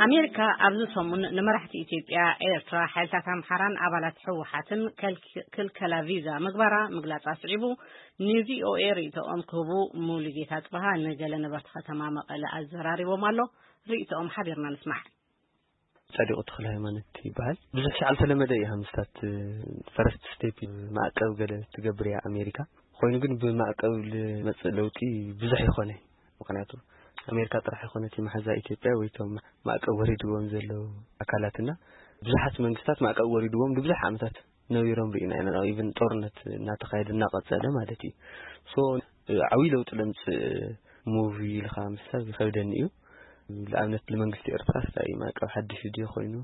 ኣሜሪካ ኣብዚ ሰሙን ንመራሕቲ ኢትዮጵያ፣ ኤርትራ፣ ሓይልታት ኣምሓራን ኣባላት ህወሓትን ከልክ- ክልከላ ቪዛ ምግባራ ምግላጻ ስዒቡ፣ ንቪኦኤ ርእይቶኦም ክህቡ ሙሉጌታ ጽበሃ ንገለ ነበርቲ ከተማ መቐለ ኣዘራሪቦም ኣሎ። ርእይቶኦም ሓቢርና ንስማዕ። ጻድቁ ተኽለ ሃይማኖት ይበሃል። ብዙሕ ሻዕ ዝተለመደ እዩ። ሃምስታት ፈረስት ስቴፕ ማዕቀብ ገለ ትገብር እያ ኣሜሪካ። ኮይኑ ግን ብማዕቀብ ልመጽእ ለውጢ ብዙሕ ይኾነ። ምኽንያቱ ኣሜሪካ ጥራሕ ይኾነት መሓዛ ኢትዮጵያ ወይ ቶም ማዕቀብ ወሪድዎም ዘለዉ ኣካላትና፣ ብዙሓት መንግስታት ማዕቀብ ወሪድዎም ንብዙሕ ዓመታት ነቢሮም ርኢና ኢና። ኢቨን ጦርነት እናተኻየደ እናቐጸለ ማለት እዩ። ሶ ዓብዪ ለውጢ ለምጽእ ሙቭ ኢልካ ምሳብ ይኸብደኒ እዩ። ንኣብነት ንመንግስቲ ኤርትራ ስታይ ማዕቀብ ሓድሽ ድዩ ኮይኑ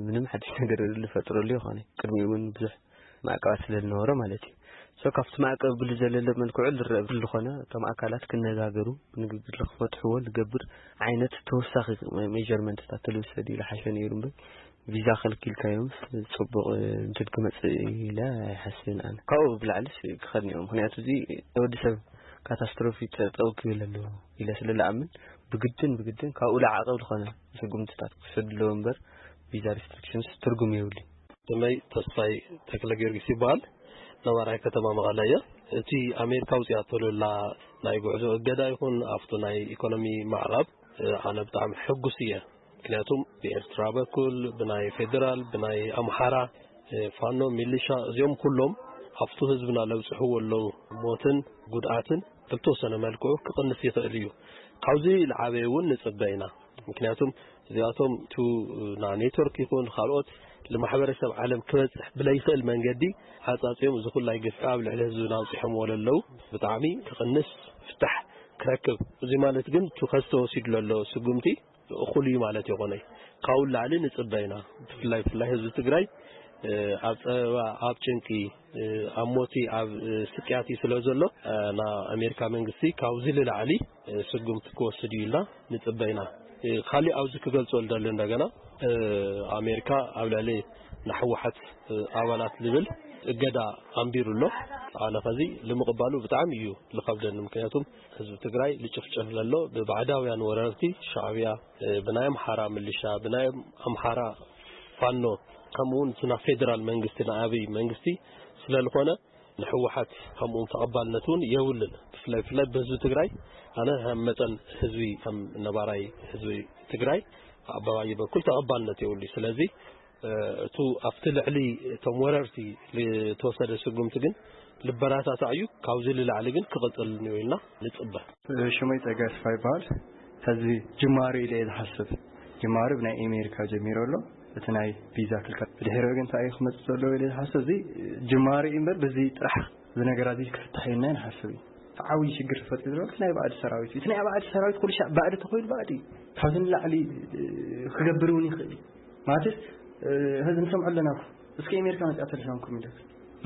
ምንም ሓድሽ ነገር ዝፈጥረሉ ይኾነ። ቅድሚኡ እውን ብዙሕ ማዕቀባት ስለ ዝነበሮ ማለት እዩ። ሶ ካብቲ ማዕቀብ ብዝዘለለ መልክዑ ዝረአ ብዝኾነ እቶም ኣካላት ክነጋገሩ፣ ንግግር ክፈትሕዎ ዝገብር ዓይነት ተወሳኺ ሜጀርመንትታት ተልውሰድ ኢሉ ሓሸ ነይሩ እምበር ቪዛ ከልኪልካዮም ጽቡቕ እንትን ክመጽእ ኢለ ኣይሓስብን ኣነ። ካብኡ ብላዕልስ ክኸድን እዮም። ምኽንያቱ እዚ ወዲ ሰብ ካታስትሮፊ ጠጠው ክብል ኣለዎ ኢለ ስለ ዝኣምን ብግድን ብግድን ካብኡ ላዕቐብ ዝኾነ ስጉምትታት ክወሰድ ኣለዎ እምበር ቪዛ ሪስትሪክሽንስ ትርጉም የብሉን። ስመይ ተስፋይ ተክለ ጊዮርጊስ ይበሃል። ነባራይ ከተማ መቐለ እየ። እቲ ኣሜሪካ ኣውፅኣቶ ዘላ ናይ ጉዕዞ እገዳ ይኹን ኣብቲ ናይ ኢኮኖሚ ማዕቐብ፣ እ፣ ኣነ ብጣዕሚ ሕጉስ እየ። ምክንያቱም ብኤርትራ በኩል፣ ብናይ ፌዴራል፣ ብናይ ኣምሓራ፣ እ፣ ፋኖ፣ ሚሊሻ፣ እዚኦም ኩሎም ኣብቲ ህዝብና ለብፅሕዎ ኣለዉ ሞትን ጉድኣትን ብተወሰነ መልክዑ ክቕንስ ይኽእል እዩ። ካብዚ ዝዓበየ እውን ንፅበ ኢና። ምክንያቱም እዚኣቶም ቱ ና ኔትወርክ ይኹን ካልኦት ንማሕበረሰብ ዓለም ክበፅሕ ብለይኽእል መንገዲ ዓፃፂኦም እዚ ኩላይ ግፍዒ ኣብ ልዕሊ ህዝብና ኣውፂሖምዎ ለለዉ ብጣዕሚ ክቕንስ ፍታሕ ክረክብ። እዚ ማለት ግን ቱ ከዚ ተወሲዱ ለሎ ስጉምቲ እኹል እዩ ማለት ይኾነይ። ካብኡ ላዕሊ ንፅበ ኢና። ብፍላይ ብፍላይ ህዝቢ ትግራይ፣ እ፣ ኣብ ፀበባ፣ ኣብ ጭንቂ፣ እ፣ ኣብ ሞቲ፣ ኣብ፣ እ፣ ስቅያት እዩ ስለ ዘሎ፣ እ፣ ና ኣሜሪካ መንግስቲ ካብዚ ንላዕሊ፣ እ፣ ስጉምቲ ክወስድ እዩ ኢልና ንፅበ ኢና። እ፣ ካሊእ ኣብዚ ክገልጾ ዝደሊ እንደገና፣ እ፣ ኣሜሪካ ኣብ ልዕሊ ንሕወሓት፣ እ፣ ኣባላት ዝብል እገዳ ኣንቢሩ ኣሎ። ኣነ ከዚ ንምቕባሉ ብጣዕሚ እዩ ዝኸብደኒ። ምክንያቱም ህዝቢ ትግራይ ዝጭፍጨፍ ዘሎ ብባዕዳውያን ወረርቲ ሻዕብያ፣ እ፣ ብናይ ኣምሓራ ምልሻ፣ ብናይ ኣምሓራ ፋኖ፣ ከምኡ እውን እቲ ናይ ፌዴራል መንግስቲ፣ ናይ ኣብይ መንግስቲ ስለ ዝኾነ ንሕወሓት ከምኡ እውን ተቐባልነት እውን የብሉን። ብፍላይ፣ ብፍላይ ብህዝቢ ትግራይ፣ ኣነ ከም መጠን ህዝቢ፣ ከም ነባራይ ህዝቢ ትግራይ፣ ኣብ ኣባይ በኩል ተቐባልነት የብሉ። ስለዚ፣ እ፣ እቱ ኣብቲ ልዕሊ እቶም ወረርቲ ዝተወሰደ ስጉምቲ ግን ልበረታታዕ እዩ። ካብዚ ንላዕሊ ግን ክቕፅል እኒኦ ኢልና ንፅበ። ሽመይ ጸጋይ ተስፋ ይበሃል። ሕዚ ጅማሮ ኢለ እየ ዝሓስብ። ጅማሮ ብናይ ኣሜሪካ ጀሚሩ ኣሎ። እቲ ናይ ቪዛ ክልከል። ብድሕሪኡ ግን እንታይ እዩ ክመጽእ ዘለዎ ኢለ ዝሓስብ፣ እዚ ጅማሮ እዩ እምበር፣ በዚ ጥራሕ እዚ ነገራት እዚ ክፍታሕ እዩ ኢልና ንሓስብ እዩ። ዓብዪ ሽግር ተፈጢሩ ዘሎ እቲ ናይ ባዕዲ ሰራዊት እዩ። እቲ ናይ ባዕዲ ሰራዊት ኩሉ ሻዕ ባዕዲ ተኾይኑ ባዕዲ እዩ። ካብዚ ንላዕሊ፣ እ፣ ክገብር እውን ይኽእል እዩ። ማለትስ፣ እ፣ ሕዚ ንሰምዖ ኣለና እኮ። እስኪ ኣሜሪካ መጺኣ ተልሳም ኮሚደር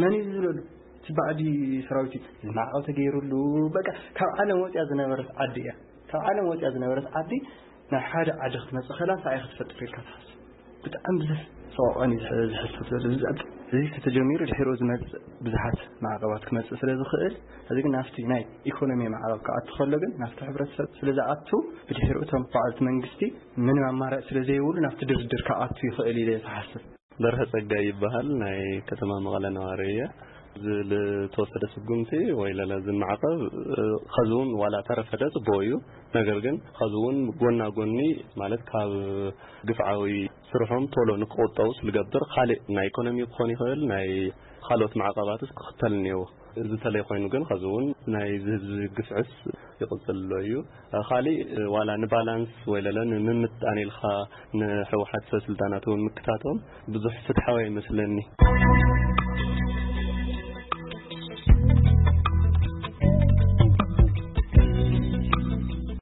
መን እዩ ዝብለሉ? እቲ ባዕዲ ሰራዊት እዩ። እዚ ማዕቐብ ተገይሩሉ፣ በቃ ካብ ዓለም ወፂኣ ዝነበረት ዓዲ እያ። ካብ ዓለም ወፂኣ ዝነበረት ዓዲ ናብ ሓደ ዓዲ ክትመፅእ ከላ እንታይ ኢኻ ትፈጥር ኢልካ ትሓስብ? ብጣዕሚ ብዙሕ ሰቆቐን እዩ ዝሕ-፣ ዝሕስብ ዘሎ። እዚ፣ እዚ ተተጀሚሩ ድሕሪኡ ዝመፅእ ብዙሓት ማዕቐባት ክመፅእ ስለ ዝኽእል፣ እዚ ግን ናብቲ ናይ ኢኮኖሚ ማዕቐብ ክኣቱ ከሎ ግን ናብቲ ሕብረተሰብ ስለ ዝኣቱ ብድሕሪኡ እቶም በዓልቲ መንግስቲ ምንም ኣማራጭ ስለ ዘይብሉ ናብቲ ድርድር ክኣቱ ይኽእል ኢለ እየ ዝሓስብ። በርሀ ጸጋይ ይበሃል። ናይ ከተማ መቐለ ነዋሪ እየ። እዚ ዝተወሰደ ስጉምቲ ወይ ለለ እዚ ማዕቐብ፣ እ፣ ኸዚ እውን ዋላ ተረፈደ ጽቡቕ እዩ። ነገር ግን ኸዚ እውን ጎና ጎኒ ማለት ካብ ግፍዓዊ ስርሖም ቶሎ ንክቑጠቡ ዝገብር ካልእ ናይ ኢኮኖሚ ክኾን ይኽእል፣ ናይ ካልኦት ማዕቐባትስ ክኽተል እኒአዎ። እዚ ተለይ ኮይኑ ግን ኸዚ እውን ናይ ህዝቢ ግፍዕስ ይቕጽል ኣሎ እዩ። ካሊእ ዋላ ንባላንስ ወይ ለለ ንምምጣን ኢልካ ንሕወሓት ሰብ ስልጣናት እውን ምክታቶም ብዙሕ ፍትሓዊ ኣይመስለኒ።